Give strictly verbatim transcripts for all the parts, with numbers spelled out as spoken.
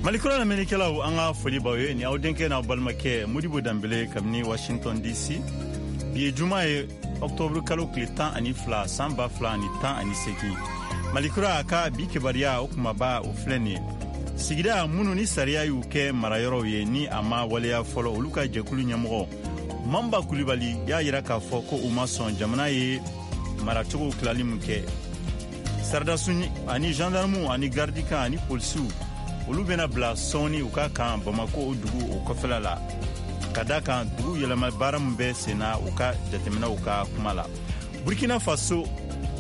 Malikura lamɛnnikɛlaw, an ka foli b'aw ye. Ni aw denkɛ n'aw balimakɛ Modibo Danbele kabini Washington D C. Bi ye juma ye, ɔktɔburu kalo tile tan ani fila, san ba fila ani tan ani seegin. Malikura ka bi kibaruya, o kumaba o filɛ nin ye: sigida minnu ni sariya y'u kɛ marayɔrɔw ye, ni a ma waleya fɔlɔ, olu ka jɛkulu ɲɛmɔgɔ Manba Kulibali y'a yira k'a fɔ ko u ma sɔn jamana ye maracogo tilali min kɛ. Saradasu ani gendarmu ani gardikan ani polisiw, olu bena bila sɔɔni u ka kan Bamako o dugu o kɔfɛla la, ka da kan dugu yɛlɛma baara min bɛ sen na, u ka jateminɛw ka kuma la. Burkina Faso,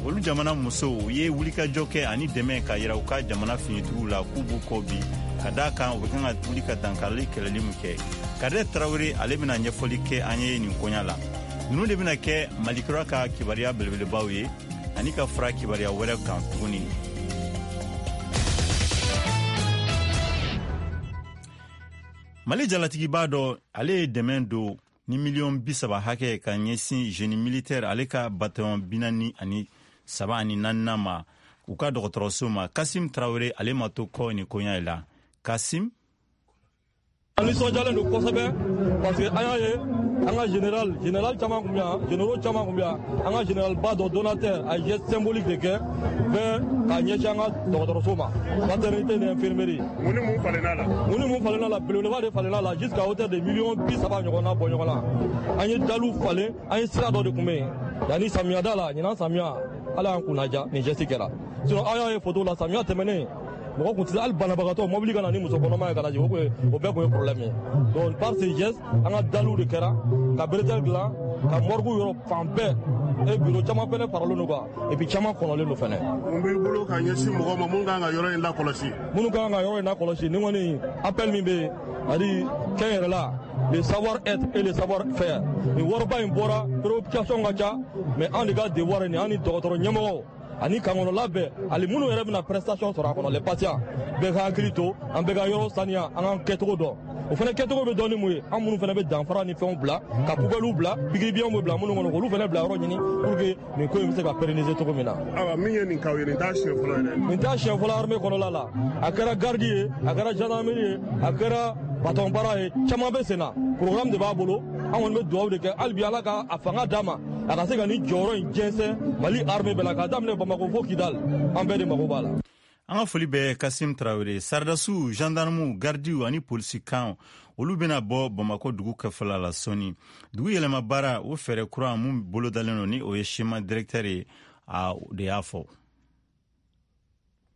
olu jamana musow ye wulikajɔ kɛ ani dɛmɛ ka yira u ka jamana finitigiw la k'u b'u kɔ bi, ka da kan u bɛ kan ka wuli ka dankarili kɛlɛli min kɛ. Kadɛ Tarawele, ale bɛna ɲɛfɔli kɛ an ye nin koɲa la. Ninnu de bɛna kɛ Malikura ka kibaruya belebelebaw ye, ani ka fara kibaruya wɛrɛ kan tuguni. Mali jalatigiba dɔ, ale ye dɛmɛ don ni miliyɔn bi saba hakɛ ka ɲɛsin génie militaire, ale ka bataillon binaani ani saba ani naaninan ma, u ka dɔgɔtɔrɔso ma. Kasim Tarawele, ale ma to kɔ nin koɲa la. Kasim. An nisɔndiyalen don kosɛbɛ, parce que an y'a ye an ka général général caman tun bɛ yan, généraux caman tun bɛ yan. An ka général ba dɔ, donateur, a ye geste symbolique de kɛ bɛɛ k'a ɲɛsin an ka dɔgɔtɔrɔso ma, maternité ni infirmerie. Mun ni mun falenna la? Mun ni mun falenna la? Belebeleba de falenna la, jusqu'à hauteur de miliyɔn bi saba ɲɔgɔnna bɔ ɲɔgɔn na. An ye daliw falen, an ye sira dɔ de tun bɛ yen yanni samiyada la. Ɲinan samiya, Ala y'an kunnaja, nin geste kɛra. Sinon aw y'a ye photo la, samiya tɛmɛnen, mɔgɔ kun tɛ se hali banabagatɔ mobili ka na ni muso kɔnɔma ye ka na jigin, o o bɛɛ kun ye problème ye. Donc par ce geste, an ka daliw de kɛra ka bretelle dilan, ka morgue yɔrɔ fan bɛɛ et bureau caman fɛnɛ faralen don kan, et puis caman kɔnɔlen don fɛnɛ. Mun b'i bolo ka ɲɛsin mɔgɔ ma mun kan ka yɔrɔ in lakɔlɔsi? Minnu kan ka yɔrɔ in lakɔlɔsi, ni kɔni appel min bɛ yen, c'est-à-dire kɛn yɛrɛ la, le savoir être et le savoir faire. Nin wariba in bɔra, préoccupation ka ca, mais an de ka devoir ye nin, an ni dɔgɔtɔrɔ ɲɛmɔgɔw ani kan kɔnɔla bɛɛ, hali minnu yɛrɛ bɛna prestation sɔrɔ a kɔnɔ, les patients, bɛɛ ka hakili to an bɛɛ ka yɔrɔ saniya, an k'an kɛcogo dɔn. O fana kɛcogo bɛ dɔn ni mun ye? An minnu fana bɛ danfara ni fɛnw bila, ka poubelles bila, pikiribiɲɛw bɛ bila minnu kɔnɔ, k'olu fana bila yɔrɔ ɲini pour que nin ko in bɛ se ka pérenniser cogo min na. Ayiwa, min ye nin k'aw ye, nin t'a siɲɛ fɔlɔ yɛrɛ. Nin t'a siɲɛ fɔlɔ armée kɔnɔla la. A kɛra garde ye, a kɛra gendarmerie ye, a kɛra bataillon para ye, caman bɛ sen na. Programme de b'a bolo. An kɔni bɛ dugawu de kɛ hali bi, Ala ka a fanga d'a ma, a ka se ka nin jɔyɔrɔ in jɛnsɛn Mali armée bɛɛ la, k'a daminɛ Bamako fo Kidal. An bɛɛ de mago b'a la. An ka foli bɛ Kasim Tarawele. Saradasiw, gendarmew, gardiw ani polisikan, olu bena bɔ Bamako dugu kɛfɛla la sɔɔni. Dugu yɛlɛma baara, o fɛɛrɛ kura mun bolodalen don, ni o ye schéma directeur ye, a de y'a fɔ.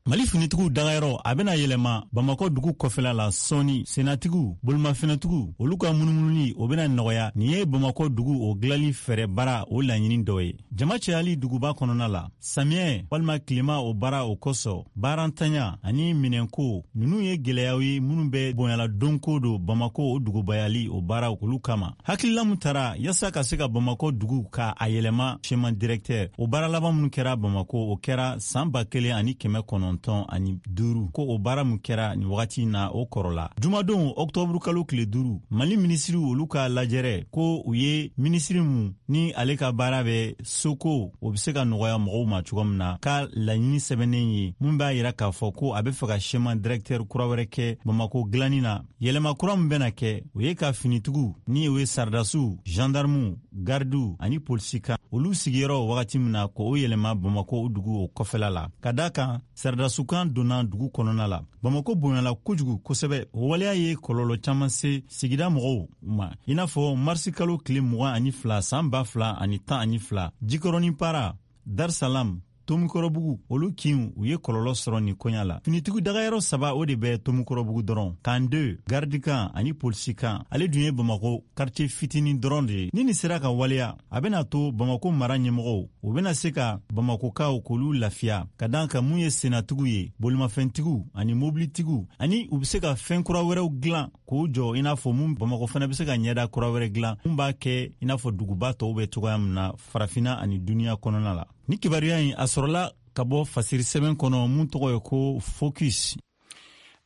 Mali finitigiw dagayɔrɔ, a bena yɛlɛma Bamakɔ dugu kɔfɛla la sɔɔni. Senatigiw, bolimafɛnatigiw, olu ka munumununi, o bena nɔgɔya. Nin ye Bamakɔ dugu o gilali fɛɛrɛ baara o laɲini dɔ ye. Jama cayali duguba kɔnɔna la, samiyɛ walima tilema o baara o kosɔn, baarantanya ani minɛnko, nunu ye gwɛlɛyaw ye minnu bɛ bonyala donko don Bamako o dugubayali o baara olu kama. Hakilila min tara yaasa ka se ka Bamako dugu ka a yɛlɛma, schéma directeur o baara laban minnu kɛra Bamako, o kɛra saan ba kelen ani kɛmɛ kɔnɔntɔn ani duuru. Ko o baara min kɛra nin wagati na, o kɔrɔla. Jumadon, ɔktɔburu kalo tile duuru, Mali minisiriw olu ka lajɛrɛ ko u ye minisiri mun ni ale ka baara bɛ soko, o be se ka nɔgɔya mɔgɔw ma cogo min na, ka laɲini sɛbɛnnen ye mun b'a yira k'a fɔ ko a be fɛ ka schéma directeur kura wɛrɛ kɛ Bamako gilanni na. Yɛlɛma kura min bɛna kɛ, o ye ka finitigiw, ni o ye saradasiw, gendarmew, gardiw ani polisikan, olu sigiyɔrɔ wagati min na, ko o yɛlɛma Bamako o dugu o kɔfɛla la, ka da kan saradasukan donna dugu kɔnɔna la. Bamako bonyala kojugu kosɛbɛ. O waleya ye kɔlɔlɔ caman se sigida mɔgɔw ma, i n'a fɔ marisi kalo tile mugan ani fila, san ba fila ani tan ani fila, Jikɔrɔni Para, Darsalam, Tomikɔrɔbugu, olu kinw, u ye kɔlɔlɔ sɔrɔ nin koɲa la. Finitigi dagayɔrɔ saba, o de bɛ Tomikɔrɔbugu dɔrɔn: camp deux, gardikan ani polisikan. Ale dun ye Bamako quartier fitinin dɔrɔn de ye. Ni nin sera ka waleya, a bena to Bamako mara ɲɛmɔgɔw, u bena se ka Bamakokaw k'olu lafiya, ka dan ka mun ye sennatigiw ye, bolimafɛntigiw ani mobilitigiw, ani u be se ka fɛn kura wɛrɛw gilan k'o jɔ, i n'a fɔ mun Bamako fana be se ka ɲɛda kura wɛrɛ gilan mun b'a kɛ i n'a fɔ duguba tɔw bɛ cogoya min na Farafina ani duniɲa kɔnɔna la. Ni kibaruya in, a sɔrɔla ka bɔ fasiri sɛbɛn kɔnɔ mun tɔgɔ ye ko Focus.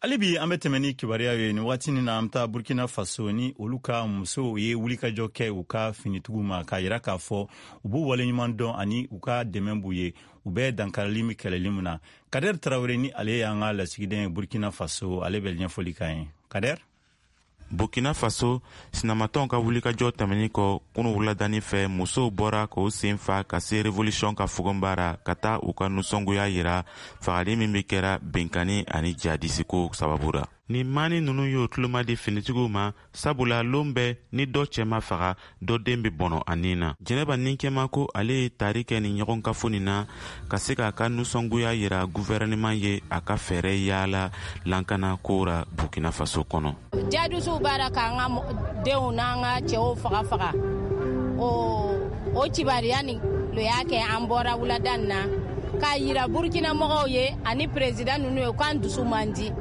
Hali bi an bɛ tɛmɛ ni kibaruya ye. Nin waati nin na, an bɛ taa Burkina Faso, ni olu ka musow ye wulikajɔ kɛ u ka finitigiw ma, k'a yira k'a fɔ u b'u waleɲuman dɔn ani u ka dɛmɛ b'u ye, u bɛ dankarili min kɛlɛli min na. Kader Tarawele, ni ale y'an ka lasigiden ye Burkina Faso, ale bɛ ɲɛfɔli k'an ye. Kader. Burkina Faso, sinamatɔnw ka wulikajɔ tɛmɛnin kɔ kunu wuladani fɛ, musow bɔra k'o sen fa ka se Révolution ka fogonba ra, ka taa u ka nisɔngoya yira fagali min be kɛra benkani ani jihadisiko sababu ra. Nin maani nunu y'o tuloma di finitigiw ma, sabula lon bɛɛ ni dɔ cɛ ma faga, dɔ den be bɔnɔ a nin na. Jɛnɛba Ninkɛma ko ale ye tari kɛ nin ɲɔgɔn kafo nin na ka se k'a ka nisɔngoya yira guvɛrɛnɛman ye a ka fɛɛrɛ yaala lankana ko ra Burkina Faso kɔnɔ. Jadisiw b'ara k'an ka denw n'an ka cɛw faga faga, o o kibariya nin lo y'a kɛ an bɔra wulada nin na k'a yira Burkina mɔgɔw ye ani président ninnu ye k'an dusu man di.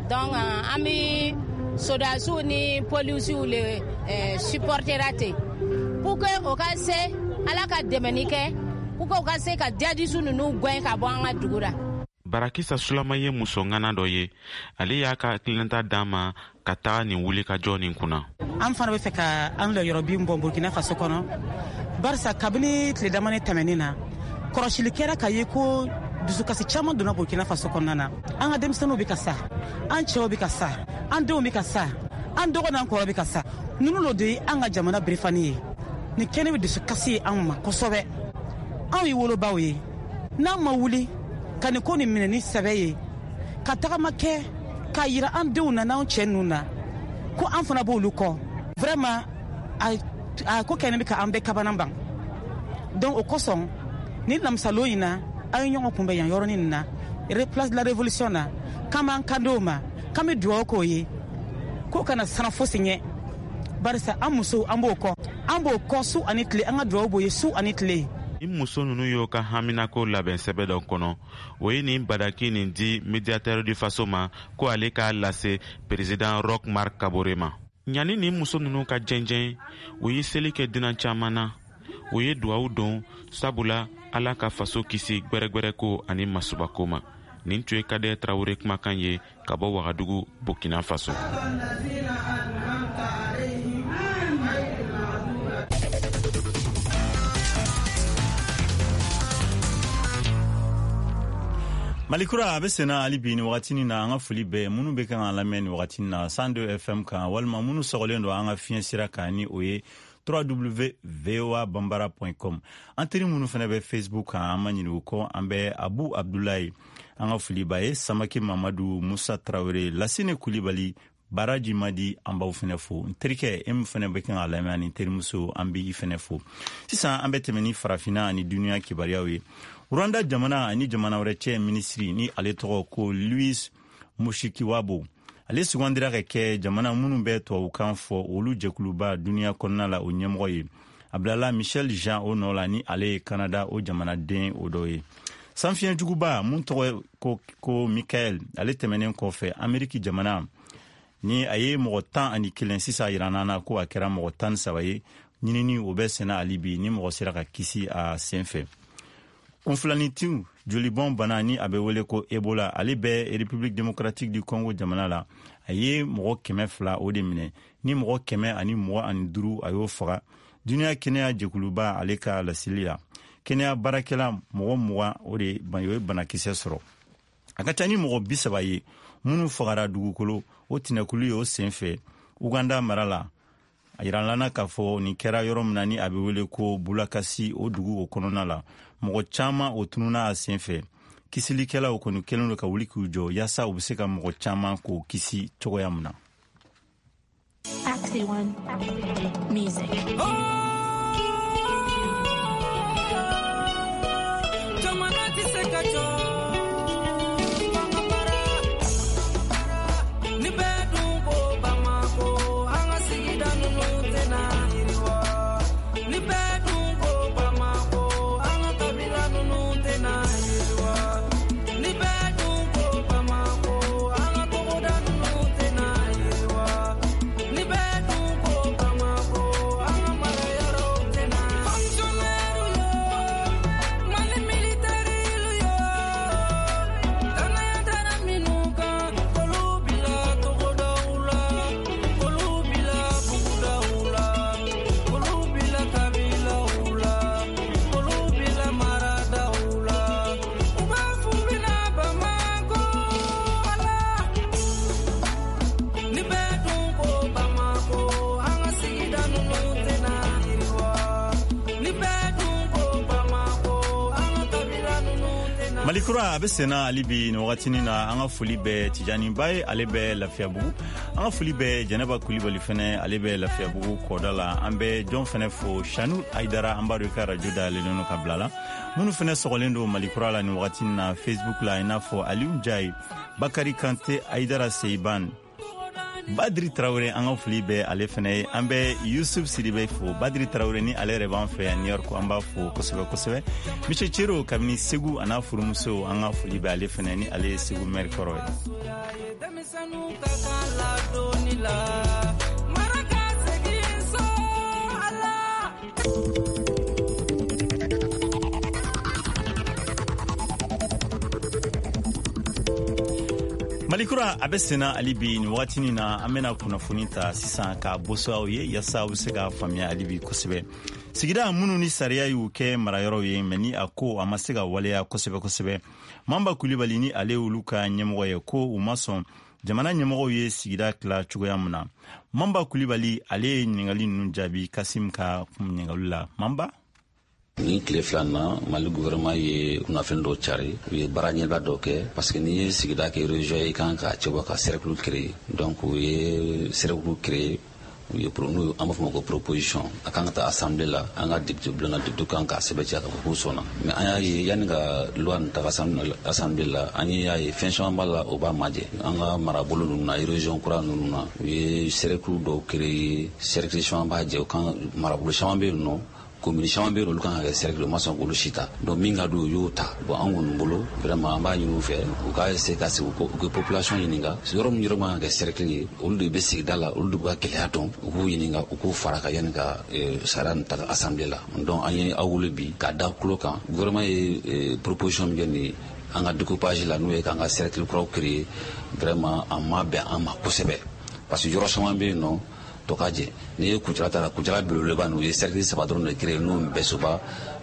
Donc an bɛ sodasiw ni polisiw le eh, supportera ten pour que o ka se Ala ka dɛmɛni kɛ pour que o ka se ka jadisiw ninnu gɛn ka bɔ an ka dugu la. Barakisa Sulama ye muso ŋana dɔ ye. Ale y'a ka hakilinata d'an ma ka taga nin wulikajɔ nin kunna. An fana bɛ fɛ ka an lɔyɔrɔ bin bɔ Burkina Faso kɔnɔ, barisa kabini tile damani tɛmɛnin na, kɔlɔsili kɛra ka ye ko dusukasi caman donna Burkina Faso kɔnɔna na. An ka denmisɛnninw bɛ ka sa, an cɛw bɛ ka sa, an denw bɛ ka sa, an dɔgɔ n'an kɔrɔ bɛ ka sa. Ninnu lo de ye an ka jamana berefani ye. Nin kɛnɛ bɛ dusukasi ye anw ma kosɛbɛ. Anw ye wolobaw ye, n'an ma wuli ka nin ko nin minɛ ni sɛbɛ ye, ka tagama kɛ k'a yira an denw na n'anw cɛ ninnu na ko an fana b'olu kɔ, vraiment a, a ko kɛnɛ bɛ ka an bɛɛ kabana ban. Donc o kosɔn ni lamisalon in na, an ye ɲɔgɔn kunbɛn yan yɔrɔnin nin na, Place de la Révolution na, k'an b'an kan d'o ma, k'an bɛ dugawu k'o ye k'o kana siran fosi ɲɛ, barisa an musow, an b'o kɔ, an b'o kɔ su ani tile, an ka dugawu b'o ye su ani tile. Ni muso nunu y'o ka haminako labɛn sɛbɛ dɔ kɔnɔ, o ye nin badaki nin di médiateur du Faso ma ko ale k'a lase président Roch Marc Kabore ma. Ɲani nin muso nunu ka jɛnjɛn, u ye seli kɛ dunan caman na, u ye duwawu don, sabula Ala ka faso kisi gwɛrɛgwɛrɛko ani masubako ma. Nin tun ye Kader Tarawele kumakan ye ka bɔ Wagadugu, Burkina Faso. Malikura a bɛ senna hali bi nin wagatinin na. An ka foli bɛɛ minnu bɛ kan ka lamɛn nin wagatinin na cent deux F M kan, walima minnu sɔgɔlen don an ka fiɲɛ sira kan, ni o ye w w w point voa bambara point com. An teri minnu fana bɛ Facebook kan, an ma ɲinɛ u kɔ. An bɛ Abu Abdulayi, an ka foli b'a ye, Samake Mamadu, Musa Tarawele, Lasine Kulibali, Baraji Madi, an b'aw fɛnɛ fo. N terikɛ e min fɛnɛ bɛ kan ka lamɛn ani terimuso, an b'i fɛnɛ fo. Sisan an bɛ tɛmɛ ni Farafinna ani duniya kibaruyaw ye. Rwanda jamana ani jamana wɛrɛ cɛ minisiri, ni ale tɔgɔ ko Louise Mushikiwabo, ale sugandira ka kɛ jamana minnu bɛ tubabukan fɔ olu jɛkuluba duniya kɔnɔna la, o ɲɛmɔgɔ ye. A bilala Michaëlle Jean o nɔ la, ni ale ye Kanada o jamanaden o dɔ ye. Sanfiɲɛjuguba mun tɔgɔ ko, ko Mikael, ale tɛmɛnen kɔfɛ Ameriki jamana, ni a ye mɔgɔ tan ani kelen, sisan yiranna na ko a kɛra mɔgɔ tan ni saba ye. Ɲinini o bɛ senna hali bi, ni mɔgɔ sera ka kisi a sen fɛ. Kunfilanitiw jolibɔn bana, ni a bɛ wele ko Ebola, ale bɛ République démocratique du Congo jamana la. A ye mɔgɔ kɛmɛ fila o de minɛ, ni mɔgɔ kɛmɛ ani mugan ani duuru a y'o faga. Duniya kɛnɛya jɛkuluba ale ka laseli la, kɛnɛya baarakɛla mɔgɔ mugan o de o ye banakisɛ sɔrɔ. A ka ca ni mɔgɔ bi saba ye minnu fagara dugukolo o tinɛkulu ye o sen fɛ Uganda mara la. A yiralana k'a fɔ nin kɛra yɔrɔ min na, ni a bɛ wele ko Bulakasi, o dugu o kɔnɔna la, mɔgɔ caman o tununa a sen fɛ. Kisilikɛlaw kɔni kɛlen don ka wuli k'u jɔ yaasa u bɛ se ka mɔgɔ caman k'o kisi cogoya min na. Taxi One Music. Jamana tɛ se ka jɔ f'an ka baara. Ni bɛɛ dun ko Bamako, an ka sigida ninnu tɛna yiriwa. Ni bɛɛ dun ko Bamako, an ka kabila ninnu tɛna yiriwa. Ni bɛɛ dun ko Bamako, an ka togoda ninnu tɛna yiriwa. Ni bɛɛ dun ko Bamako, an ka mara Malikura a bɛ senna hali bi nin wagatinin na. An ka foli bɛ Tijani Ba ye, ale bɛ Lafiyabugu. An ka foli bɛ Jɛnɛba Kulibali fɛnɛ, ale bɛ Lafiyabugu kɔda la. An bɛ jɔn fɛnɛ fo, Shanu Aidara, an b'a dɔn i ka radio dayɛlɛlen don ka bila la. Minnu fɛnɛ sɔgɔlen don Malikura la nin wagatinin na Facebook la, i n'a fɔ Aliou Ndiaye, Bakari Kante, Aidara Seiban, Badri Traoré, an ka foli bɛ ale fɛnɛ ye. An bɛ Yusuf Sidibe fo, Badri Traoré ni ale yɛrɛ b'an fɛ yan New York, an b'a fo kosɛbɛ kosɛbɛ. Monsieur Cero kabini Segu a n'a furumuso, an ka foli bɛ ale fɛnɛ ni ale ye Segu maire kɔrɔ ye. Denmisɛnninw ka kan ladonni la, mara ka segin so ala. Malikura a bɛ senna hali bi nin wagatinin na. An bɛna kunnafoni ta sisan k'a boso aw ye yaasa aw bɛ se k'a faamuya hali bi kosɛbɛ. Sigida minnu ni sariya y'u kɛ marayɔrɔw ye, mɛ ni a ko a ma se ka waleya kosɛbɛ kosɛbɛ, Manba Kulibali ni ale y'olu ka ɲɛmɔgɔ ye, ko u ma sɔn jamana ɲɛmɔgɔw ye sigida tila cogoya min na. Manba Kulibali ale ye ɲininkali ninnu jaabi Kasim ka ɲininkali la. Manba. Ni tile fila na, Mali gouvernement ye kunnafoni dɔw cari, u ye baara ɲɛbila dɔw kɛ, parce que n'i ye sigida kɛ région ye, i kan k'a cɛbɔ ka cercle créer. Donc u ye cercle créer, u ye n'u an b'a fɔ ma ko proposition, a kan ka taa assemblée la, an ka député bulon na, député kan k'a sɛbɛntiya k'a fɔ k'u sɔnna. Mais an y'a ye, yanni ka loi nin taga assemblée la, an y'a ye fɛn caman b'a la o b'a majɛ. An ka marabolo ninnu na, région kura ninnu na, u ye cercle dɔw créer, cercle caman b'a jɛ, u kan marabolo caman bɛ yen nɔ, commune caman bɛ yen, olu kan ka kɛ cercle, u ma sɔn k'olu si ta. Donc min ka d'u ye, u y'o ta. Bon, an kɔni bolo, vraiment, an b'a ɲini u fɛ u k'a essayer ka sigi, u ka population ɲininka yɔrɔ min yɔrɔ man ka kɛ cercle ye. Olu de bɛ sigida la, olu de b'u ka gɛlɛya dɔn, u k'u ɲininka, u k'u fara kan yanni ka sariya nin ta assemblée la. Donc an ye aw wele bi k'a da tulo kan. Gouvernement ye proposition min kɛ nin an ka découpage la, n'o ye k'an ka cercle kuraw créer, vraiment a ma bɛn an ma kosɛbɛ, parce que yɔrɔ caman bɛ yen nɔ tɔ ka jɛ. N'i ye Kucala ta, Kucala belebeleba ninnu, u ye cercle saba dɔrɔn de créer, n'o Bɛsoba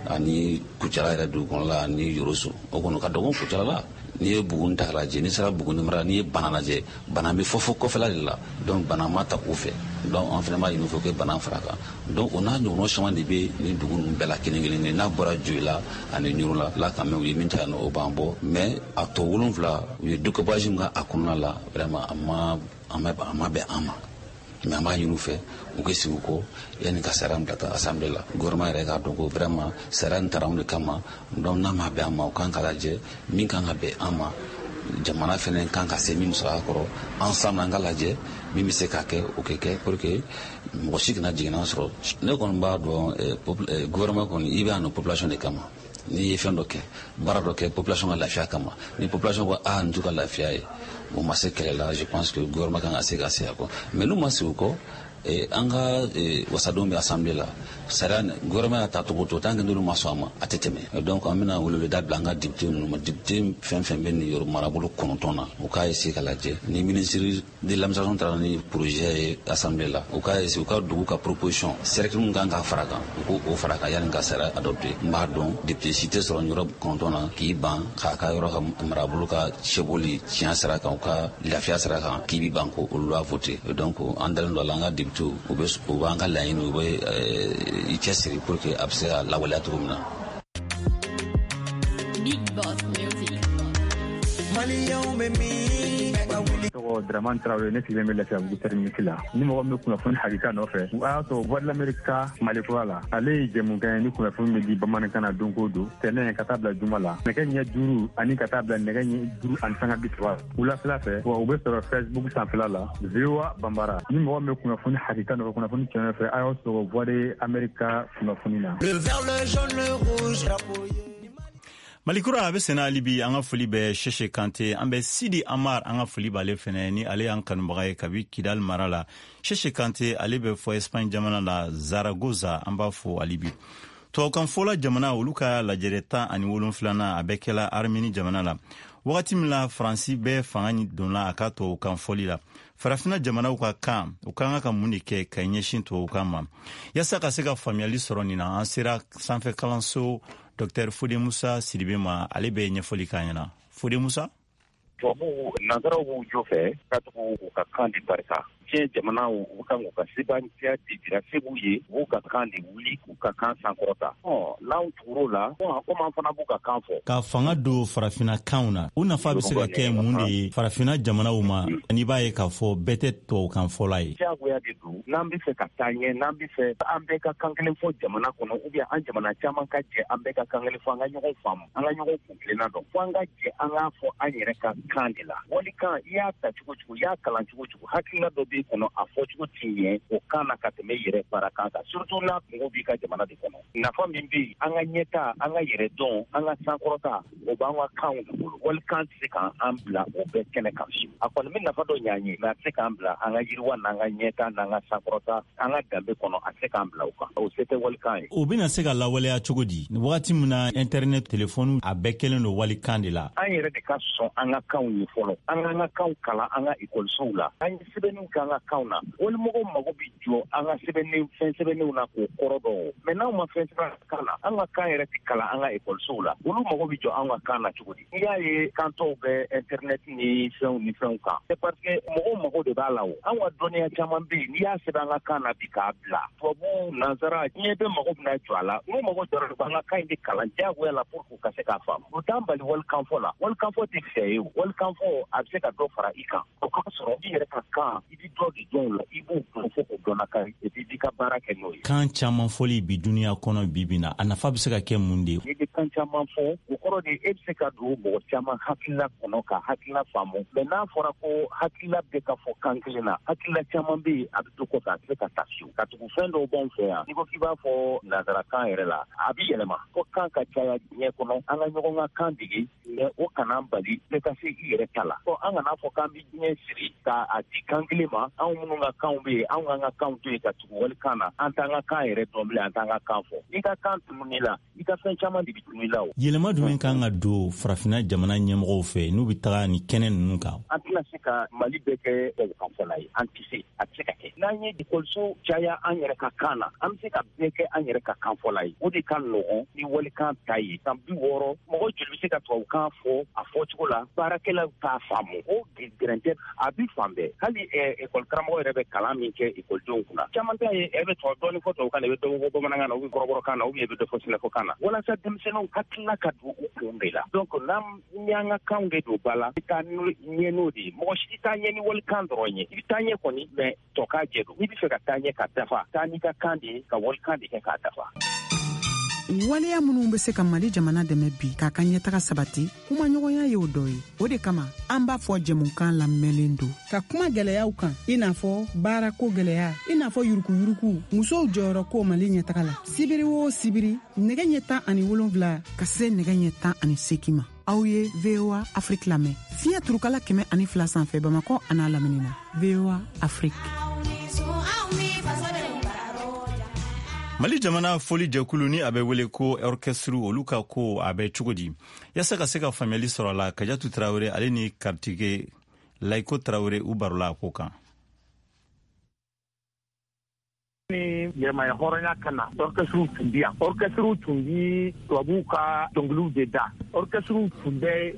ani Kucala yɛrɛ dugu kɔnɔla ani Yoroso, o kɔni ka dɔgɔn Kucala la. N'i ye Buguni ta k'a lajɛ, n'i sera Buguni mara, n'i ye Bana lajɛ, Bana bɛ fɔ fo kɔfɛla de la. Donc Bana ma ta u fɛ. Donc an fana b'a ɲini u fɛ ko Bana fara kan. Donc o n'a ɲɔgɔnna caman de bɛ nin dugu ninnu bɛɛ la kelen kelen, n'a bɔra Joyila ani Ɲorola la kan, mɛ u ye min ta yan nɔ, o b'an bɔ. Mais a tɔ wolonfila, u ye découpage min kɛ a kɔnɔna la, vraiment a ma a ma bɛn an ma. Mais an b'a ɲini u fɛ u ka sigi u kɔ yanni ka sariya min ta assemblée la. Gouvernement yɛrɛ k'a dɔn ko vraiment sariya nin taara anw de kama. Donc n'a ma bɛn an ma, u kan ka lajɛ min kan ka bɛn an ma, jamana fɛnɛ kan ka se min musaka kɔrɔ. Ensemble an ka lajɛ min bɛ se ka kɛ, o kɛ kɛ pour que mɔgɔ si kana jiginna sɔrɔ. Ne kɔni b'a dɔn, gouvernement kɔni, i bɛ yan nɔ population de kama. N'i ye fɛn dɔ kɛ, baara dɔ kɛ population ka lafiya kama, ni population ko aa nin t'u ka lafiya ye, o ma se kɛlɛ la, je pense que gouvernement kan ka se ka se a kɔ. Mais n'u ma sigi o kɔ, an ka wasadenw bɛ assemblée la, sariya gouvernement y'a ta cogo o cogo, tant que n'olu ma sɔn a ma, a tɛ tɛmɛ. Donc an bɛna weleweleda bila an ka député ninnu ma, député fɛn fɛn bɛ nin yɔrɔ marabolo kɔnɔntɔn na, u k'a essayer ka lajɛ ni ministre de l'administration taara ni projet ye assemblée la, u k'a essayer u ka dugu ka proposition, cercle min kan ka fara kan, u k'o fara kan yanni ka sariya adopté. N b'a dɔn député si tɛ sɔrɔ yɔrɔ kɔnɔntɔn na k'i ban k'a ka yɔrɔ ka marabolo ka cɛbɔli tiɲɛ sira kan, u ka lafiya sira kan, k'i bi ban k'o loi voter. Donc an dalen don a la, an ka député u bɛ u b'an ka laɲini, u bɛ i cɛsiri pour que a bɛ se ka lawaleya cogo min na. Big Boss Music. Maliyɛnw bɛ min? Tɔgɔ Dramane Traoré, ne sigilen bɛ Lafiyabugu terminus la. Ni mɔgɔ min bɛ kunnafoni hakika nɔfɛ, a y'a sɔrɔ Voix de l'Amérique ka Malikura la. Ale ye jɛmukan ye ni kunnafoni bɛ di bamanankan na don o don, tɛnɛn ka taa bila juma la, nɛgɛ ɲɛ duuru ani ka taa bila nɛgɛ ɲɛ duuru ani sanga bi saba wulafɛla fɛ. Wa u bɛ sɔrɔ Facebook sanfɛla la, V O A Banbara. Ni mɔgɔ min bɛ kunnafoni hakika nɔfɛ, kunnafoni tiɲɛ nɔfɛ, a y'aw sɔrɔ Voix de l'Amérique ka kunnafoni na. Le vert, le jaune, le rouge. Malikura a bɛ senna hali bi. An ka foli bɛ Sese Kante, an bɛ Sidi Amar, an ka foli b'ale fɛnɛ ni ale y'an kanubaga ye kabi Kidal mara la. Sese Kante ale bɛ fɔ Espagne jamana la, Zaragoza, an b'a fo hali bi. Tubabukan fɔla jamana olu ka lajɛrɛ tan ani wolonfilanan a bɛ kɛla Armeni jamana la. Wagati min la Faransi bɛ fanga donna a ka tubabukan fɔli la, farafina jamanaw ka kan, u ka kan ka mun de kɛ ka ɲɛsin tubabukan ma yaasa ka se ka faamuyali sɔrɔ nin na? An sera sanfɛ kalanso Docteur Fode Musa Sidibe ma, ale bɛ ɲɛfɔli k'an ɲɛna. Fode Musa. Tubabuw, nanzaraw b'u jo fɛ ka tugu u ka kan di barika. Diɲɛ Diɲɛ jamanaw u kan k'u ka sebantiya de jira se b'u ye, u b'u ka kan de wuli k'u ka kan sankɔrɔta. Ɔ n'anw tugur'o la, komi an fana b'u ka kan fɔ. Ka fanga don farafinna kanw na, o nafa bɛ se ka kɛ mun de ye farafinna jamanaw ma? N'i b'a ye k'a fɔ bɛɛ tɛ tubabukan fɔla ye. Diyagoya de don, n'an bɛ fɛ ka taa ɲɛ, n'an bɛ fɛ an bɛɛ ka kan kelen fɔ jamana kɔnɔ, ou bien an jamana caman ka jɛ an bɛɛ ka kan kelen fɔ, an ka ɲɔgɔn faamu, an ka ɲɔgɔn kuntilenna dɔn, fo an ka jɛ an k'a fɔ an yɛrɛ ka kan de la. Walikan, i y'a ta cogo cogo, i y'a kalan cogo cogo, hakilina dɔ b'i kɔnɔ, a fɔ cogo t'i ɲɛ o kan na ka tɛmɛ i yɛrɛ baara kan kan, surtout n'a kungo b'i ka jamana de kɔnɔ. Nafa min bɛ yen, an ka ɲɛta, an ka yɛrɛ dɔn, an ka sankɔrɔta, o b'an ka kanw de bolo. Walikan tɛ se k'an bila o bɛɛ kɛnɛ kan fiyewu. A kɔni bɛ nafa dɔ ɲɛ an ye, mais a tɛ se k'an bila an ka yiriwa n'an ka ɲɛta n'an ka sankɔrɔta, an ka danbe kɔnɔ, a tɛ se k'an bila o kan. O se tɛ walikan ye. O bɛna se ka lawaleya cogo di wagati min na internet, telefɔni, a bɛɛ kɛlen don walikan de la? An yɛrɛ de ka sɔn an ka kanw ye fɔlɔ, an k'an ka kanw kalan an ka ekɔlisow la, an ye sɛbɛnniw kɛ an ka kanw na. Walimɔgɔw mago bɛ jɔ an ka sɛbɛnni fɛn sɛbɛnniw na k'o kɔrɔ dɔn, mais n'anw ma fɛn sɛbɛn kan na, an ka kan yɛrɛ tɛ kalan an ka ekɔlisow la, olu mago bɛ jɔ an ka kan na cogo di? N'i y'a ye kan tɔw bɛ internet ni fɛnw ni fɛnw kan, c'est parce que mɔgɔw mago de b'a la. O an ka dɔnniya caman bɛ yen, n'i y'a sɛbɛn an ka kan na bi k'a bila tubabu, nansara, diɲɛ bɛɛ mago bɛna jɔ a la. N'u mago jɔra, u b'an ka kan in de kalan diyagoya la pour k'u ka se k'a faamu. O t'an bali walikanfɔ la. Walikanfɔ tɛ fɛ ye o. Walikanfɔ a bɛ se ka dɔ fara i kan, o k'a sɔrɔ i yɛrɛ ka kan, i bɛ dɔ de dɔn o la, i b'o dɔn fo k'o dɔn kan, et puis i b'i ka baara kɛ n'o ye. Kan caman fɔli bi dunuya kɔnɔ bi bi na, a nafa bɛ se ka kɛ mun de ye? N'i bɛ kan caman fɔ, o kɔrɔ de e bɛ se ka don mɔgɔ caman hakilila kɔnɔ ka hakilila faamu. Mais n'a fɔra ko hakilila bɛ ka fɔ kan kelen na, hakilila caman bɛ yen a bɛ to kɔfɛ, a tɛ se ka taa fiyewu. Ka tugu fɛn dɔw b'anw fɛ yan, n'i ko k'i b'a fɔ nansarakan yɛrɛ la, a bɛ yɛlɛma. Ko kan ka caya diɲɛ kɔnɔ, an ka ɲɔgɔn ka kan dege, mais o kana bali bɛɛ ka se i yɛrɛ ta la. Ɔ an kana fɔ k'an bɛ diɲɛ siri k'a di kan kelen ma. Anw minnu ka kanw bɛ yen, anw k'an ka kanw to yen ka tugu walikan na, an t'an ka kan yɛrɛ dɔn bilen, an t'an ka kan fɔ. N'i ka kan tunun'i la, i ka fɛn caman de bɛ tunun i la o. Yɛlɛma jumɛn kan ka don farafinna jamana ɲɛmɔgɔw fɛ n'u bɛ taga ni kɛnɛ ninnu kan? An tɛna se ka Mali bɛɛ kɛ tubabukanfɔla ye, an tɛ se, a tɛ se ka kɛ. N'an ye ekɔliso caya an yɛrɛ ka kan na, an bɛ se ka bɛɛ kɛ an yɛrɛ ka kanfɔla ye. O de ka nɔgɔn ni walikan ta ye. San bi wɔɔrɔ, mɔgɔ joli bɛ se ka tubabukan fɔ a fɔcogo la, baarakɛlaw t'a faamu. O gɛrɛntɛ a bi fan bɛɛ. Hali ekɔli karamɔgɔ yɛrɛ bɛ kalan min kɛ ekɔlidenw kunna, caman ta ye e bɛ tubabu dɔɔni fɔ tubabukan na, i bɛ dɔ fɔ bamanankan na, ou bien kɔrɔbɔrɔkan na, ou bien i bɛ dɔ fɔ sɛnɛfɔkan na, walasa denmisɛnninw hakilila ka don u kun de la. Donc n'an y'an ka kanw de don ba la, i bɛ taa ɲɛ n'o de ye. Mɔgɔ si tɛ taa ɲɛ ni walikan dɔrɔn ye. I bɛ taa ɲɛ kɔni, mais tɔ k'a jɛ don. N'i bɛ fɛ ka taa ɲɛ ka dafa, taa n'i ka kan de ye, ka walikan de kɛ k'a dafa. Waleya minnu bɛ se ka Mali jamana dɛmɛ bi k'a ka ɲɛtaga sabati, kumaɲɔgɔnya y'o dɔ ye. O de kama an b'a fɔ jɛmukan lamɛnlen don ka kuma gɛlɛyaw kan, i n'a fɔ baarako gɛlɛya, i n'a fɔ yurukuyuruku, musow jɔyɔrɔ ko Mali ɲɛtaga la. Sibiri o sibiri, nɛgɛ ɲɛ tan ani wolonfila ka se nɛgɛ ɲɛ tan ani seegin ma, aw ye V O A Afrique lamɛn fiɲɛ turukala kɛmɛ ani fila sanfɛ Bamakɔ an'a lamini na. V O A Afrique. Mali jamana foli jɛkulu ni a bɛ wele ko orchestre, olu ka ko a bɛ cogo di? Yasa ka se ka faamuyali sɔrɔ a la, Kajatu Tarawele ale ni Karitike Layiko Tarawele u barola a ko kan. Ni yɛlɛmaya hɔrɔnya ka na, orchestre tun bi yan. Orchestre tun bi tubabuw ka dɔnkiliw de da. Orchestre tun bɛ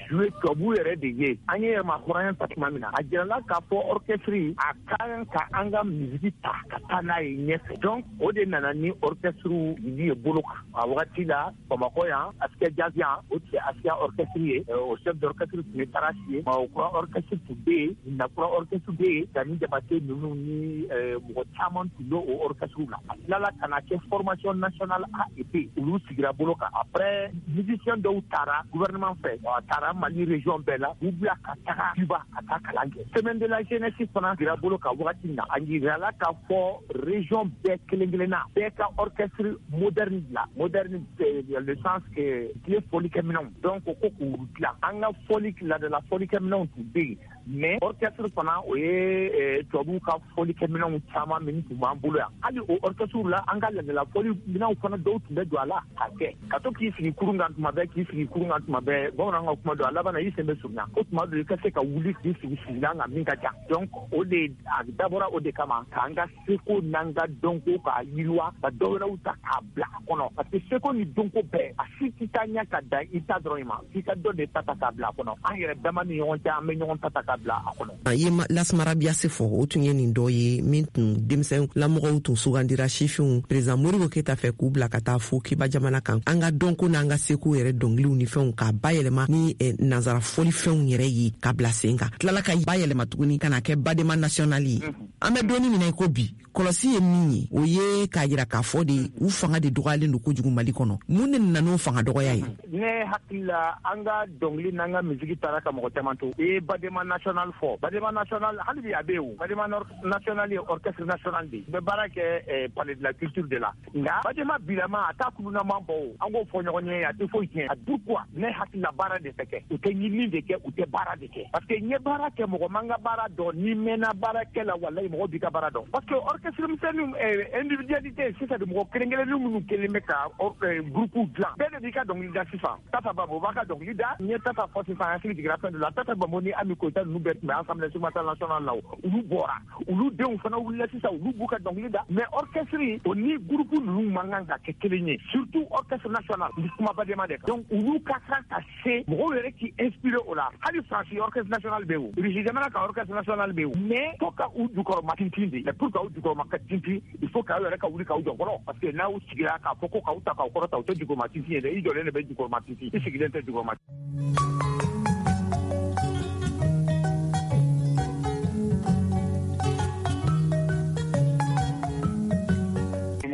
jouer tubabuw yɛrɛ de ye. An ye yɛlɛma hɔrɔnya ta tuma min na, a jirala k'a fɔ orchestre a ka kan ka an ka musique ta ka taa n'a ye ɲɛfɛ. Donc o de nana ni orchestre ye bolo kan. A wagati la Bamakɔ yan, Askia Jazz yan, o tun ye Askia orchestre ye. O chef d'orchestre tun ye Tarasi ye. Mawokura orchestre tun bɛ yen, Nakura orchestre bɛ yen, Dani Jabate ninnu ni mɔgɔ caman tun bɛ o orchestre la. A tilala ka na kɛ formation nationale A et B, olu sigira bolo kan. Après musicien dɔw taara gouvernement fɛ, a taara Mali région bɛɛ la, u bila ka taga Cuba ka taa kalan kɛ. Semaine de la jeunesse fana sigira bolo kan wagati min na, a yirala k'a fɔ région bɛɛ kelen kelenna bɛɛ ka orchestre moderne dilan. Moderne le sens que tile fɔlikɛminɛnw, donc ko k'u dilan. An ka fɔli laadala fɔlikɛminɛnw tun bɛ yen, mais orchestre fana o ye tubabuw ka fɔlikɛminɛnw caman min tun b'an bolo yan. Hali o orchestre la, an ka laadala fɔliminɛnw fana dɔw tun bɛ don a la ka kɛ. Ka to k'i sigi kurun kan tuma bɛɛ, k'i sigi kurun kan tuma bɛɛ, bamananw ka kuma don a laban na i sen bɛ surunya. Ko tuma dɔ i ka se ka wuli k'i sigi sigilan kan min ka ca. Donc o de a dabɔra o de kama k'an ka seko n'an ka dɔnko k'a yiriwa, ka dɔ wɛrɛw ta k'a bila a kɔnɔ. Parce que seko ni dɔnko bɛɛ, a si tɛ taa ɲɛ ka dan i ta dɔrɔn ma, f'i ka dɔ de ta ta k'a bila a kɔnɔ. An yɛrɛ dama ni ɲɔgɔn cɛ, an bɛ ɲɔgɔn ta ta k'a ka bila a kɔnɔ. A ye Lasmara Biase fɔ, o tun ye nin dɔ ye min tun denmisɛn lamɔgɔw tun sugandira sifinw président Modibo Keyita fɛ k'u bila ka taa fo Kiba jamana kan, an ka dɔnko n'an ka seko yɛrɛ dɔnkiliw ni fɛnw k'a bayɛlɛma ni eh, nansara fɔlifɛnw yɛrɛ ye ka bila sen kan, tilala ka bayɛlɛma tuguni ka na kɛ Badema national ye. An bɛ donni min na i ko bi, kɔlɔsi ye min ye, o ye k'a yira k'a fɔ de u fanga de dɔgɔyalen don kojugu Mali kɔnɔ. Mun de nana n'o fanga dɔgɔya ye? Ne hakili la, an ka dɔnkili n'an ka misiki taara ka mɔgɔ caman to. I ye Badema national fɔ, Badema national hali bi a bɛ yen o. Badema national ye orchestre national de ye, u bɛ baara kɛ palais de la culture de la. Nka Badema bilama a t'a kulunama bɔ o, an k'o fɔ ɲɔgɔn ye, a tɛ foyi tiɲɛ. A pourquoi? Ne hakili la, baara de tɛ kɛ, u tɛ ɲinini de kɛ, u tɛ baara de kɛ, parce que n ye baara kɛ, mɔgɔ man ka baara dɔn, n'i mɛnna baara kɛ la, walayi mɔgɔ b'i ka baara dɔn, parce que orchestre misɛnninw, individualité sisan de, mɔgɔ kelen kelennin minnu kelen bɛ ka groupe dilan, bɛɛ de b'i ka dɔnkili da sisan. Tata Bambo b'a ka dɔnkili da, n ye Tata fɔ sisan, hakili jiginna fɛn dɔ la. Tata Bambo ni Ami Koyita ninnu bɛɛ tun bɛ Assemblée nationale la, olu bɔra, olu denw fana wulila sisan, olu b'u ka dɔnkili da. Mais orchestre o ni groupe ninnu man kan ka kɛ kelen ye, surtout orchestre national, n bɛ kuma Badema de kan. Donc olu ka kan ka se mɔgɔw yɛrɛ k'i inspiré o la. Hali Faransi orchestre national bɛ yen o, Russie jamana ka orchestre national bɛ yen o, mais fo ka u jukɔrɔma tintin de. Mais pour k'aw jukɔrɔma ka tintin, il faut k'aw yɛrɛ ka wuli k'aw jɔ fɔlɔ, parce que n'aw sigira k'a fɔ ko k'aw ta k'aw kɔrɔta, o tɛ jukɔrɔma tintin ye dɛ, i jɔlen de bɛ jukɔrɔma tintin, i sigilen tɛ jukɔrɔma.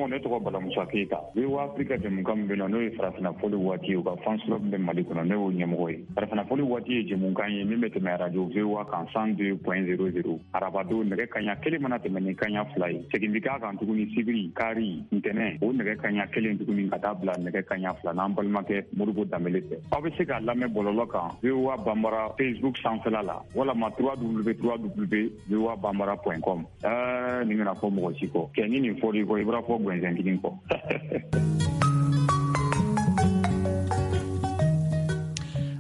Ne tɔgɔ Bala Musa Keyita. V O A Afrika jɛmukan min bɛ na, n'o ye farafinna fɔli waati ye, u ka fans club bɛ Mali kɔnɔ, ne y'o ɲɛmɔgɔ ye. Farafinna fɔli waati ye jɛmukan ye min bɛ tɛmɛ radio V O A kan cent deux point zéro zéro arabadon nɛgɛ kanɲɛ kelen mana tɛmɛ ni kanɲɛ fila ye. Segin bɛ k'a kan tuguni sibiri, kari, ntɛnɛn, o nɛgɛ kanɲɛ kelen tuguni ka taa bila nɛgɛ kanɲɛ fila n'an balimakɛ Modibo Danbele fɛ. Aw bɛ se k'a lamɛn bɔlɔlɔ kan V O A Banbara Facebook sanfɛla la walama w w w V O A banbara point com. Ɛɛ nin kana fɔ mɔgɔ si kɔ. Kɛ ni nin fɔr'i kɔ, i bɔra fɔ gɛnzɛn kelen kɔ.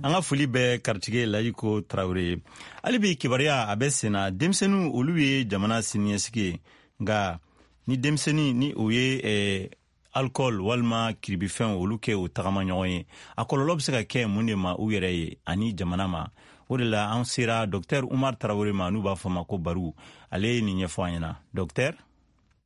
An ka foli bɛ karitigi Layiko Tarawele ye. Hali bi kibaruya a bɛ senna, denmisɛnninw olu ye jamana siniɲɛsigi ye, nka ni denmisɛnnin ni o ye eh, alcool walima kiribifɛnw olu kɛ o tagama ɲɔgɔn ye, a kɔlɔlɔ bɛ se ka kɛ mun de ma u yɛrɛ ye ani jamana ma? O de la an sera docteur Umar Tarawele ma, n'u b'a fɔ ma ko Baru. Ale ye nin ɲɛfɔ an ɲɛna. Docteur,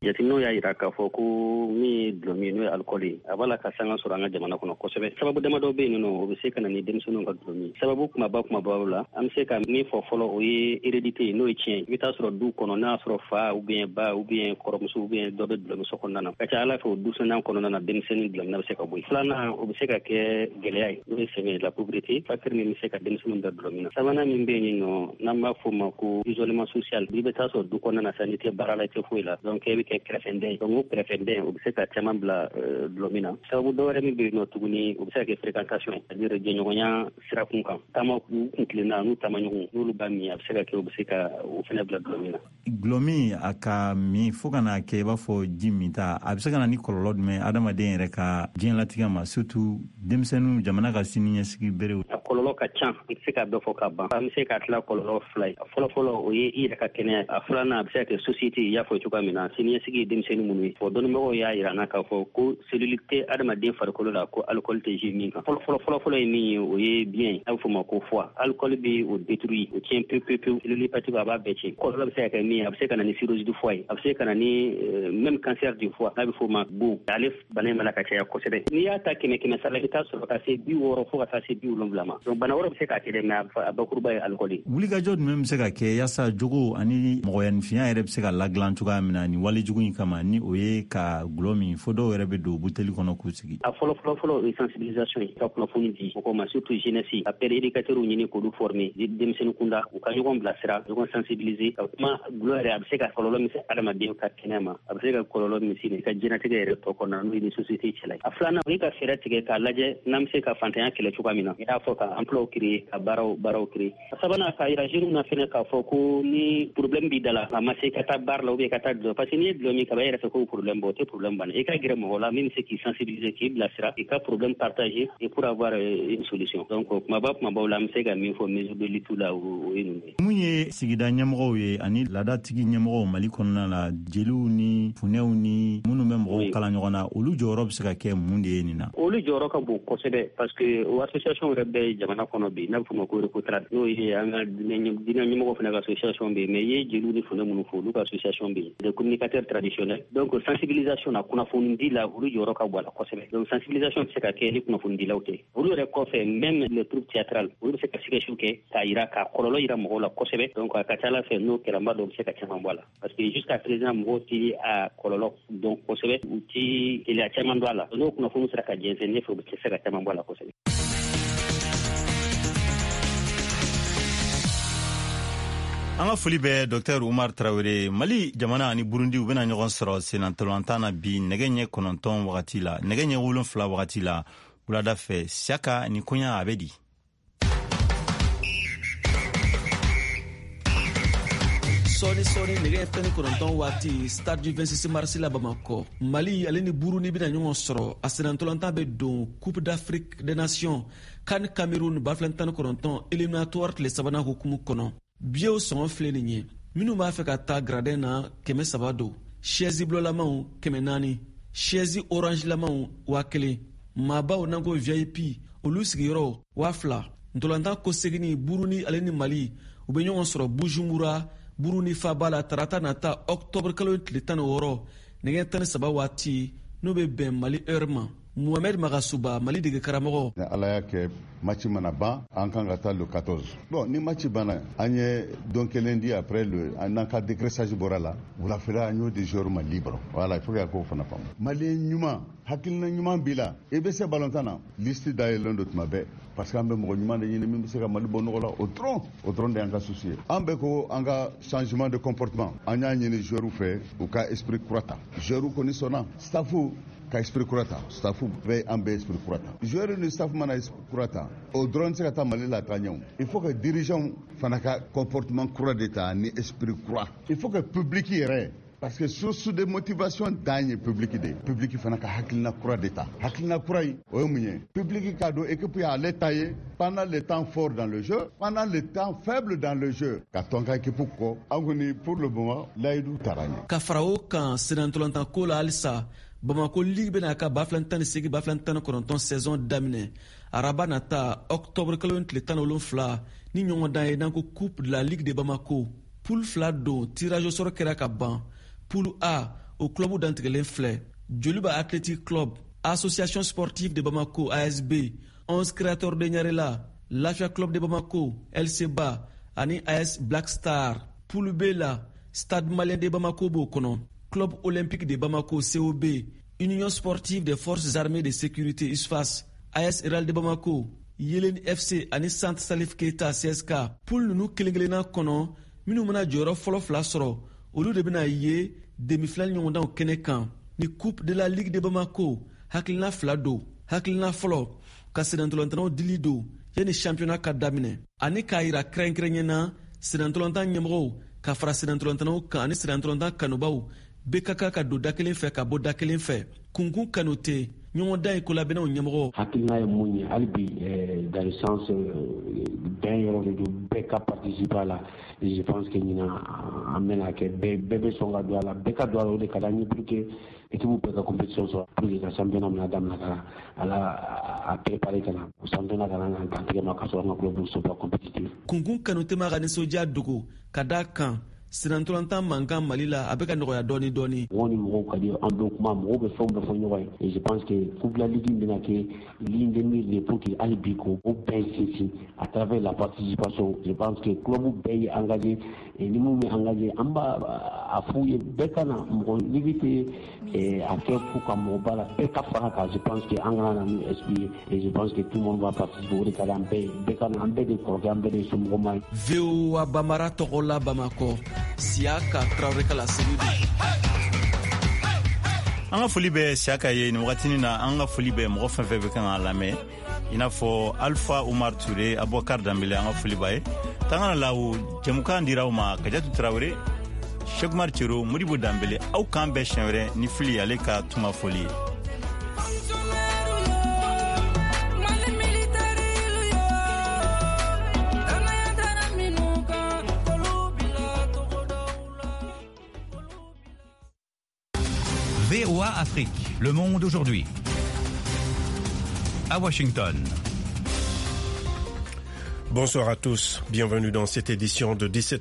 jateminɛw y'a yira k'a fɔ ko min ye dulɔ min ye, n'o ye alikɔli ye, a b'a la ka sanga sɔrɔ an ka jamana kɔnɔ kosɛbɛ. Sababu damadɔ bɛ yen nɔ, o bɛ se ka na ni denmisɛnninw ka dulɔ min. Sababu kumaba kumabaw la, an bɛ se ka min fɔ fɔlɔ, o ye hérédité ye, n'o ye tiɲɛ ye. I bɛ taa sɔrɔ du kɔnɔ, n'a y'a sɔrɔ fa ou bien ba ou bien kɔrɔmuso ou bien dɔ bɛ dulɔ min so kɔnɔna na, ka ca ala fɛ o du sɔnna kɔnɔna na, denmisɛnnin dulɔ minna bɛ se ka bɔ yen. Filanan, o bɛ se ka kɛ gɛlɛya ye, n'o ye sɛgɛn, la pauvreté, facteur min bɛ se ka denmisɛnninw da dulɔ min na. Sabanan min bɛ yen nɔ, n'an b'a fɔ o ma ko isolement social, i bɛ taa sɔrɔ du kɔnɔna na sa, n'i tɛ baara la, i tɛ foyi la, donc e bɛ kɛ kɛrɛfɛdɛn ye. Donc o kɛrɛfɛdɛn, o bɛ se ka caman bila dulɔ min na. Sababu dɔ wɛrɛ min bɛ yen nɔ tuguni, o bɛ se ka kɛ fréquentation ye, c'est-à-dire jɛɲɔgɔnya sirakun kan, taama u kun tilenna n'u taamaɲɔgɔn, n'olu b'a min, a bɛ se ka kɛ o bɛ se ka o fana bila dulɔ min na. Dulɔ min a ka min fo ka n'a kɛ i b'a fɔ ji min ta, a bɛ se ka na ni kɔlɔlɔ jumɛn adamaden yɛrɛ ka diɲɛlatigɛ ma, surtout denmisɛnninw, jamana ka siniɲɛsigi berew? A kɔlɔlɔ ka ca, an tɛ se k'a bɛɛ fɔ ka ban. An bɛ se k'a tila kɔlɔlɔ fila ye. A fɔlɔ-fɔlɔ, o ye i yɛrɛ ka kɛnɛya. A filanan, a bɛ se ka kɛ société, i y'a fɔ cogoya min na, siniɲɛsigi ye denmisɛnnin minnu ye. Fɔ dɔnnibagaw y'a yira n na k'a fɔ ko cellule tɛ adamaden farikolo la ko alcool tɛ jouer min kan. Fɔlɔ fɔlɔ fɔlɔ fɔlɔ ye min ye, o ye biɲɛ ye, a bɛ fɔ o ma ko foie. Alcool bɛ o détruire, o tiɲɛ pewu pewu pewu. Cellule hépatique a b'a bɛɛ tiɲɛ. Kɔlɔlɔ bɛ se ka kɛ min ye, a bɛ se ka na ni cirrhose du foie ye, a bɛ se ka na ni même cancer du foie, n'a bɛ fɔ o ma bon. Ale bana in b'a la ka caya kosɛbɛ. N'i y'a ta kɛmɛ kɛmɛ sara la, i bɛ taa sɔrɔ ka se bi wɔɔrɔ fo ka taa se bi wolonwula ma. Donc bana wɛrɛ bɛ se k'a kɛ dɛ, mais a bakuruba ye alcool ye. Wulikajɔ jumɛn bɛ se ka kɛ yaasa jogo ani mɔgɔyaninfinya yɛrɛ bɛ se ka ladilan cogoya min na nin walejugu in kama, ni o ye ka gulɔ min fo dɔw yɛrɛ bɛ don buteli kɔnɔ k'u sigi? A fɔlɔ fɔlɔ fɔlɔ, o ye sensibilisation ye, ka kunnafoni di mɔgɔw ma, surtout jeunesse, ka père éducateur ɲini k'olu former denmisɛnnin kunda, u ka ɲɔgɔn bilasira, ɲɔgɔn sensibiliser, ka kuma gulɔ yɛrɛ a bɛ se ka kɔlɔlɔ min se adamaden ka kɛnɛya ma, a bɛ se ka kɔlɔlɔ min se i ka diɲɛlatigɛ yɛrɛ tɔ kɔnɔna, n'o ye ni société cɛla ye. A filanan, o ye ka fɛɛrɛ tigɛ k'a lajɛ n'an bɛ se ka fantanya kɛlɛ cogoya min na, i n'a fɔ ka emploi créer, ka baaraw baaraw créer. A sabanan, k'a yira jeunes na fɛnɛ k'a fɔ ko ni problème b'i da la, a ma se ka taa baara la ou bien ka taa dulɔ, parce que n'i ye dulɔ min kaba e yɛrɛ fɛ k'o problème bɔ, o tɛ problème banna. I ka gɛrɛ mɔgɔ la min bɛ se k'i sensibiliser, k'i bilasira, i ka problème partager et pour avoir une solution. Donc kumaba kumabaw la, an bɛ se ka min fɔ mesure de lutte la, o ye ninnu ye. Mun ye sigida ɲɛmɔgɔw ye ani laadatigi ɲɛmɔgɔw Mali kɔnɔna la, jeliw ni funɛw ni minnu bɛ mɔgɔw kala ɲɔgɔn na, olu jɔyɔrɔ bɛ se ka kɛ mun de ye nin na? Olu jɔyɔrɔ ka bon kosɛbɛ, parce que o association yɛrɛ bɛ jamana kɔnɔ bi, n'a bɛ f'o ma ko Recotrad, n'o ye an ka diinɛ ɲɛmɔgɔ fana ka association bɛ yen. Mais i ye jeliw ni funɛ minnu fɔ, olu ka association bɛ yen, des communicateurs traditionnels. Donc sensibilisation na, kunnafoni di la, olu jɔyɔrɔ ka bon a la kosɛbɛ. Donc sensibilisation tɛ se ka kɛ ni kunnafonidilaw tɛ. Olu yɛrɛ kɔfɛ, même les troupes théâtrales, olu bɛ se ka sketch kɛ k'a yira, k'a kɔlɔlɔ yira mɔgɔw la kosɛbɛ. Donc a ka ca ala fɛ, n'o kɛra, n b'a dɔn u bɛ se ka caman bɔ a la, parce que jusqu'à présent mɔgɔw tɛ a kɔlɔlɔ dɔn kosɛbɛ, u tɛ gɛlɛya caman dɔn a la. N'o kunnafoni sera ka jɛnsɛn, ne fɛ u bɛ se ka caman bɔ a la kosɛbɛ. An ka foli bɛ Docteur Umar Tarawele. Mali jamana ani Burundi u bɛna ɲɔgɔn sɔrɔ sennantolatan na bi nɛgɛ ɲɛ kɔnɔntɔn wagati la, nɛgɛ ɲɛ wolonfila wagati la wulada fɛ. Siyaka, ni koɲa a bɛ di? Sɔɔni sɔɔni nɛgɛ tan ni kɔnɔntɔn waati, stade du vingt-six mars la Bamakɔ, Mali ale ni Burundi bɛna ɲɔgɔn sɔrɔ. A sennantolatan bɛ don Coupe d'Afrique des Nations CAN Cameroun ba fila tan ni kɔnɔntɔn éliminatoire tile sabanan hukumu kɔnɔ. Biyew sɔngɔ filɛ nin ye: minnu b'a fɛ ka taa gradin na, kɛmɛ saba don, chaise bulɔlamaw kɛmɛ naani, chaise orange lamaw waa kelen, maabaw n'an ko V I P olu sigiyɔrɔ waa fila. Ntolantan kɔseginni, Burundi ale ni Mali u bɛ ɲɔgɔn sɔrɔ Bujumbura, Burundi faaba la, tarata nata octobre kalo tile tan ni wɔɔrɔ nɛgɛ tan ni saba waati, n'o bɛ bɛn Mali heure ma. Mohamed Magasuba, Mali dege karamɔgɔ. Ni Ala y'a kɛ match mana ban, an kan ka taa le quatorze. Bon, ni match banna, an ye don kelen di après le n'an ka décrassage bɔra la, wulafɛla an y'o di joueur ma libre. Voilà, il faut que k'o fana faamu. Malien ɲuman, hakilina ɲuman b'i la, i bɛ se ballontan na, liste dayɛlɛlen don tuma bɛɛ, parce que an bɛ mɔgɔ ɲuman de ɲini min bɛ se ka Mali bɔ nɔgɔ la. O dɔrɔn, o dɔrɔn de y'an ka souci ye. An bɛ ko an ka changement de comportement, an y'a ɲini joueur fɛ u ka esprit kura ta. Joueur kɔni sɔnna, staff ka esprit kura ta, staff bɛɛ an bɛ esprit kura ta. Joueur ni staff mana esprit kura ta, o dɔrɔn tɛ se ka taa Mali la taa ɲɛ o. Il faut que dirigeant fana ka comportement kura de ta ni esprit kura. Il faut que public yɛrɛ, parce que source de motivation dan ye public de ye. Public fana ka hakilina kura de ta. Hakilina kura in, o ye mun ye? Public k'a dɔn équipe y'ale ta ye pendant le temps fort dans le jeu, pendant le temps faible dans le jeu, ka tɔn ka équipe kɔ. An kɔni pour le moment layidu taara ɲɛ. Ka fara o kan, sennantolatan ko la halisa, Bamako Ligue bɛna ka ba fila tan ni seegin ba fila tan ni kɔnɔntɔn saison daminɛ araba nata octobre kalo tile tan ni wolonfila ni ɲɔgɔndan ye n'an ko Coupe de la Ligue de Bamako. Poule fila don, tirage au sort kɛra ka ban. Poule A, o club dantigɛlen filɛ: Joliba Athletic Club, Association Sportive de Bamako A S B, onze Créateurs de Ɲarela, Lafia Club de Bamako, L C B A ani A S Black Star. Poule B la, Stade Malien de Bamako b'o kɔnɔ, Club Olympique de Bamako C O B, Union Sportive des Forces Armées de Sécurité U S F A S, A S Real de Bamako, Yelen F C ani Centre Salif Keita C S K. Poule ninnu kelen-kelenna kɔnɔ, minnu bɛna jɔyɔrɔ fɔlɔ fila sɔrɔ, olu de bɛna ye demi-finale ɲɔgɔndanw kɛnɛ kan. Ni Coupe de la Ligue de Bamako, hakilina fila don. Hakilina fɔlɔ, ka sennantolatannaw dili don yanni championnat ka daminɛ, ani k'a yira kɛrɛnkɛrɛnnenya na sennantolatan ɲɛmɔgɔw ka fara sennantolatannaw kan ani sennantolatan kanubaw bɛɛ ka kan ka don da kelen fɛ ka bɔ da kelen fɛ. Kunkun Kanute, ɲɔgɔndan ye kolabɛnnaw ɲɛmɔgɔ. Hakilina ye mun ye hali bi, dans le sens bɛn yɔrɔ de don, bɛɛ ka participer a la. Je pense que ɲinan an bɛna kɛ bɛɛ bɛɛ bɛ sɔn ka don a la, bɛɛ ka don a la, o de ka d'an ye pour que équipe bɛɛ ka compétition sɔrɔ, pour que ka championnat bɛna daminɛ ka ala a préparer ka na championnat kana na dantigɛ ma ka sɔrɔ an ka club sont pas compétitifs. Kunkun Kanute ma ka nisɔndiya dogo ka d'a kan sennantolatan mankan Mali la a bɛ ka nɔgɔya dɔɔni dɔɔni. Mɔgɔw ni mɔgɔw ka di, an bɛ kuma, mɔgɔw bɛ fɛnw bɛɛ fɔ ɲɔgɔn ye. Et je pense que Coupe de la Ligue bɛna kɛ ligne de mire de pour que hali bi k'o bɛɛ sinsin à travers la participation. Je pense que club bɛɛ ye engagé, et ni mun bɛ engagé, an b'a a f'u ye bɛɛ ka na, mɔgɔ ligue tɛ a kɛ fo ka mɔgɔ ba la, bɛɛ ka fara kan. Je pense que an kana na n'o esprit ye, et je pense que tout le monde va participer, o de ka di an bɛɛ ye, bɛɛ ka na, an bɛɛ de kɔrɔkɛ, an bɛɛ de ye somɔgɔma ye. V O A Bamara tɔgɔ la Bamakɔ, Siyaka Traoré ka laseli don. An ka foli bɛ Siyaka ye nin wagatinin na. An ka foli bɛ mɔgɔ fɛn fɛn bɛ kan k'a lamɛn, i n'a fɔ Alpha Umar Ture, Abubakar Danbele, an ka foli b'a ye. Tangana Lawo, jɛmukan dira aw ma Kajatu Traoré. Sekumar Cero, Modibo Danbele, aw k'an bɛn siɲɛ wɛrɛ ni Fili ale ka tunga fɔli ye. V O A Afrique, Le Monde aujourd'hui. À Washington. Bonsoir à tous, bienvenue dans cette édition de dix-sept